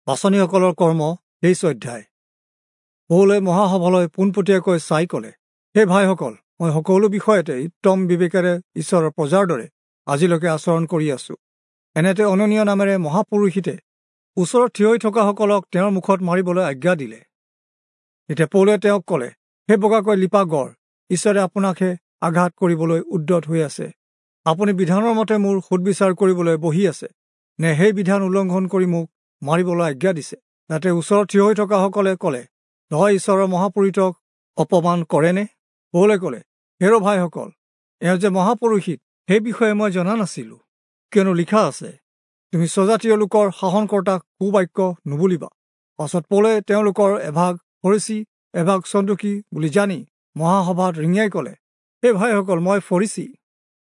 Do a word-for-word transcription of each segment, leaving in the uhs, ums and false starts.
পাঁচনিসকলৰ কৰ্ম তেইছ অধ্যায়। পৌলে মহাসভালৈ পোনপটীয়াকৈ চাই ক'লে, হে ভাইসকল, মই সকলো বিষয়তে উত্তম বিবেকেৰে ঈশ্বৰৰ প্ৰজাৰ দৰে আজিলৈকে আচৰণ কৰি আছো। এনেতে অননীয় নামেৰে মহাপুৰোহিতে ওচৰত থিয় হৈ থকাসকলক তেওঁৰ মুখত মাৰিবলৈ আজ্ঞা দিলে। তেতিয়া পৌলে তেওঁক ক'লে, হে বগাকৈ লিপা গড়, ঈশ্বৰে আপোনাকহে আঘাত কৰিবলৈ উদ্যত হৈ আছে। আপুনি বিধানৰ মতে মোৰ সোধবিচাৰ কৰিবলৈ বহি আছে নে সেই বিধান উলংঘন কৰি মোক মাৰিবলৈ আজ্ঞা দিছে? তাতে ওচৰত থিয় হৈ থকাসকলে ক'লে, তই ঈশ্বৰৰ মহাপুৰোহিতক অপমান কৰেনে? পৌলে ক'লে, হেৰ ভাইসকল, এওঁ যে মহাপুৰোহিত সেই বিষয়ে মই জনা নাছিলোঁ, কিয়নো লিখা আছে, তুমি স্বজাতীয় লোকৰ শাসনকৰ্তাক কুবাক্য নুবুলিবা। পাছত পৌলে তেওঁলোকৰ এভাগ ফৰীচী এভাগ চন্দুকী বুলি জানি মহাসভাত ৰিঙিয়াই ক'লে, হে ভাইসকল, মই ফৰীচী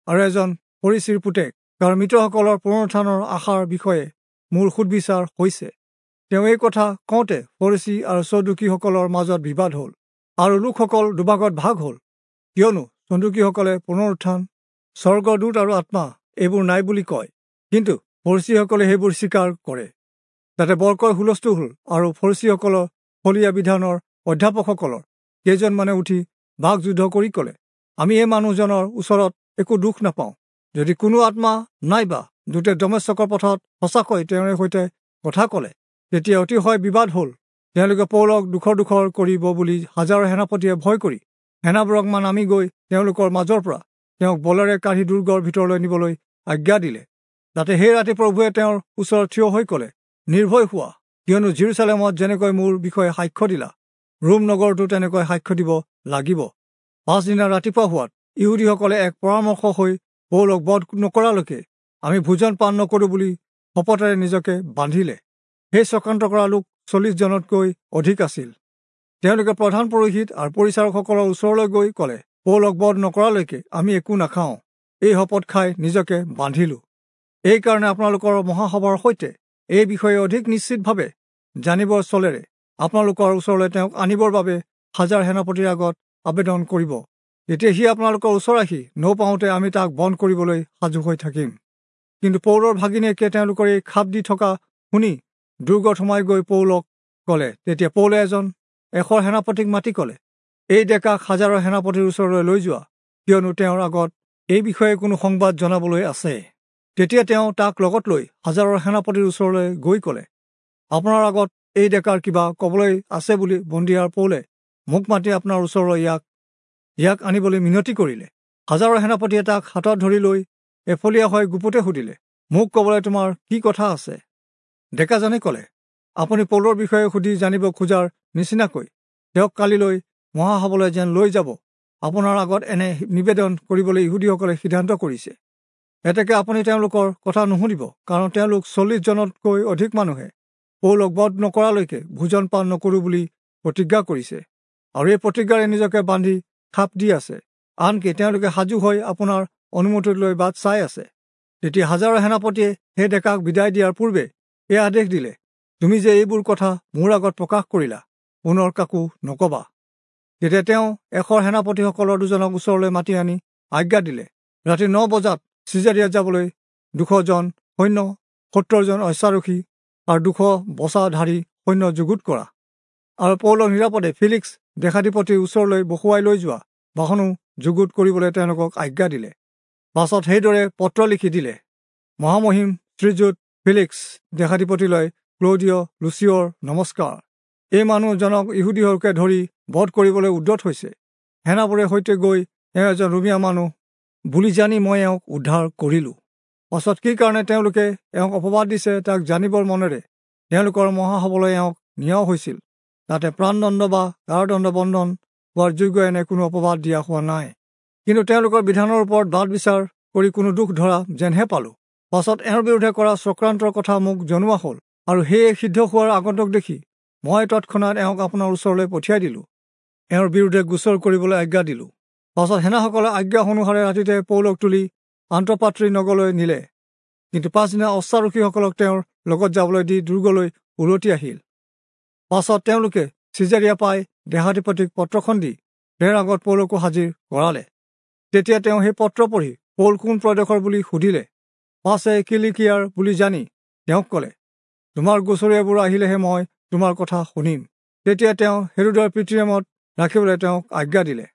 আৰু এজন ফৰীচীৰ পুতেক, কাৰণ মৃতসকলৰ পুনৰুত্থানৰ আশাৰ বিষয়ে মোৰ সোধবিচাৰ হৈছে। তেওঁ এই কথা কওঁতে ফৰীচী আৰু চদুকীসকলৰ মাজত বিবাদ হ'ল আৰু লোকসকল দুভাগত ভাগ হ'ল, কিয়নো চন্দুকীসকলে পুনৰুত্থান, স্বৰ্গদূত আৰু আত্মা এইবোৰ নাই বুলি কয়, কিন্তু ফৰীচীসকলে সেইবোৰ স্বীকাৰ কৰে। তাতে বৰকৈ হুলস্থুল হ'ল আৰু ফৰীচীসকলৰ ফলীয়া বিধানৰ অধ্যাপকসকলৰ কেইজনমানে উঠি বাক যুদ্ধ কৰি ক'লে, আমি এই মানুহজনৰ ওচৰত একো দুখ নাপাওঁ। যদি কোনো আত্মা নাইবা দূতে দমেচকৰ পথত সঁচাকৈ তেওঁৰে সৈতে কথা ক'লে, তেতিয়া অতিশয় বিবাদ হ'ল। তেওঁলোকে পৌলক দুখৰ দুখৰ কৰিব বুলি হাজাৰৰ সেনাপতিয়ে ভয় কৰি সেনাবোৰক মান নামি গৈ তেওঁলোকৰ মাজৰ পৰা তেওঁক বলেৰে কাঢ়ি দুৰ্গৰ ভিতৰলৈ নিবলৈ আজ্ঞা দিলে। তাতে সেই ৰাতি প্ৰভুৱে তেওঁৰ ওচৰত থিয় হৈ ক'লে, নিৰ্ভয় হোৱা, কিয়নো জিৰচালেমত যেনেকৈ মোৰ বিষয়ে সাক্ষ্য দিলা, ৰোম নগৰতো তেনেকৈ সাক্ষ্য দিব লাগিব। পাছদিনা ৰাতিপুৱা হোৱাত ইহুদীসকলে এক পৰামৰ্শ হৈ পৌলক বধ নকৰালৈকে আমি ভোজন পান নকৰোঁ বুলি শপতেৰে নিজকে বান্ধিলে। সেই চক্ৰান্ত কৰা লোক চল্লিছজনতকৈ অধিক আছিল। তেওঁলোকে প্ৰধান পুৰোহিত আৰু পৰিচাৰকসকলৰ ওচৰলৈ গৈ ক'লে, পৌলক বধ নকৰালৈকে আমি একো নাখাওঁ, এই শপত খাই নিজকে বান্ধিলোঁ। এইকাৰণে আপোনালোকৰ মহাসভাৰ সৈতে এই বিষয়ে অধিক নিশ্চিতভাৱে জানিবৰ চলেৰে আপোনালোকৰ ওচৰলৈ তেওঁক আনিবৰ বাবে হাজাৰ সেনাপতিৰ আগত আবেদন কৰিব। তেতিয়া সি আপোনালোকৰ ওচৰ আহি নৌপাওঁতে আমি তাক বন্ধ কৰিবলৈ সাজু হৈ থাকিম। কিন্তু পৌলৰ ভাগিনীয়েকে তেওঁলোকৰ এই খাপ দি থকা শুনি দুৰ্গত সোমাই গৈ পৌলক ক'লে। তেতিয়া পৌলে এজন এশৰ সেনাপতিক মাতি ক'লে, এই ডেকাক হাজাৰৰ সেনাপতিৰ ওচৰলৈ লৈ যোৱা, কিয়নো তেওঁৰ আগত এই বিষয়ে কোনো সংবাদ জনাবলৈ আছে। তেতিয়া তেওঁ তাক লগত লৈ হাজাৰৰ সেনাপতিৰ ওচৰলৈ গৈ ক'লে, আপোনাৰ আগত এই ডেকাৰ কিবা ক'বলৈ আছে বুলি বন্দীয়াৰ পৌলে মোক মাতি আপোনাৰ ওচৰলৈ ইয়াক ইয়াক আনিবলৈ মিনতি কৰিলে। হাজাৰৰ সেনাপতিয়ে তাক হাতত ধৰি লৈ এফলীয়া হৈ গুপুতে সুধিলে, মোক ক'বলৈ তোমাৰ কি কথা আছে? ডেকাজনে ক'লে, আপুনি পৌলৰ বিষয়ে সুধি জানিব খোজাৰ নিচিনাকৈ তেওঁক কালিলৈ মহাসভালৈ যেন লৈ যাব, আপোনাৰ আগত এনে নিবেদন কৰিবলৈ ইহুদীসকলে সিদ্ধান্ত কৰিছে। এতেকে আপুনি তেওঁলোকৰ কথা নুশুনিব, কাৰণ তেওঁলোক চল্লিছজনতকৈ অধিক মানুহে পৌলক বধ নকৰালৈকে ভোজন পান নকৰোঁ বুলি প্ৰতিজ্ঞা কৰিছে আৰু এই প্ৰতিজ্ঞাৰে নিজকে বান্ধি খাপ দি আছে। আনকি তেওঁলোকে সাজু হৈ আপোনাৰ অনুমতি লৈ বাট চাই আছে। তেতিয়া হাজাৰৰ সেনাপতিয়ে সেই ডেকাক বিদায় দিয়াৰ পূৰ্বে এই আদেশ দিলে, তুমি যে এইবোৰ কথা মোৰ আগত প্ৰকাশ কৰিলা, পুনৰ কাকো নকবা। তেতিয়া তেওঁ এশৰ সেনাপতিসকলৰ দুজনক ওচৰলৈ মাতি আনি আজ্ঞা দিলে, ৰাতি ন বজাত চিজাৰিয়াত যাবলৈ দুশজন সৈন্য, সত্তৰজন অশ্বাৰোহী আৰু দুশ বচাধাৰী সৈন্য যুগুত কৰা আৰু পৌলক নিৰাপদে ফিলিক্স দেশাধিপতিৰ ওচৰলৈ বহুৱাই লৈ যোৱা বাহনো যুগুত কৰিবলৈ তেওঁলোকক আজ্ঞা দিলে। পাছত সেইদৰে পত্ৰ লিখি দিলে, মহামহিম শ্ৰীযুত ফিলিক্স দেশাধিপতিলৈ ক্লৌদিয় লুচিয়ৰ নমস্কাৰ। এই মানুহজনক ইহুদীসকলে ধৰি বধ কৰিবলৈ উদ্যত হৈছে। সেনাবোৰে সৈতে গৈ এওঁ এজন ৰোমীয়া মানুহ বুলি জানি মই এওঁক উদ্ধাৰ কৰিলোঁ। পাছত কি কাৰণে তেওঁলোকে এওঁক অপবাদ দিছে তাক জানিবৰ মনেৰে তেওঁলোকৰ মহাসভালৈ এওঁক নিয়াও হৈছিল। তাতে প্ৰাণদণ্ড বা কাৰাদণ্ড বন্ধন হোৱাৰ যোগ্য এনে কোনো অপবাদ দিয়া হোৱা নাই, কিন্তু তেওঁলোকৰ বিধানৰ ওপৰত বাদ বিচাৰ কৰি কোনো দুখ ধৰা যেনহে পালোঁ। পাছত এওঁৰ বিৰুদ্ধে কৰা চক্ৰান্তৰ কথা মোক জনোৱা হ'ল আৰু সেয়ে সিদ্ধ হোৱাৰ আগন্তুক দেখি মই তৎক্ষণাত এওঁক আপোনাৰ ওচৰলৈ পঠিয়াই দিলোঁ, এওঁৰ বিৰুদ্ধে গোচৰ কৰিবলৈ আজ্ঞা দিলোঁ। পাছত সেনাসকলে আজ্ঞা অনুসাৰে ৰাতিতে পৌলক তুলি আন্তঃপাত্ৰী নগৰলৈ নিলে, কিন্তু পাছদিনা অশ্বাৰোহীসকলক তেওঁৰ লগত যাবলৈ দি দুৰ্গলৈ উলটি আহিল। পাছত তেওঁলোকে চিজাৰিয়া পাই দেহাধিপতিক পত্ৰখন দি তেওঁৰ আগত পৌলকো হাজিৰ কৰালে। তেতিয়া তেওঁ সেই পত্ৰ পঢ়ি পৌল কোন প্ৰদেশৰ বুলি সুধিলে। পাছে কিলিকিয়াৰ বুলি জানি তেওঁক ক'লে, তোমাৰ গোচৰীয়াবোৰ আহিলেহে মই তোমাৰ কথা শুনিম। তেতিয়া তেওঁ হেৰোদৰ পিতৃনামত ৰাখিবলৈ তেওঁক আজ্ঞা দিলে।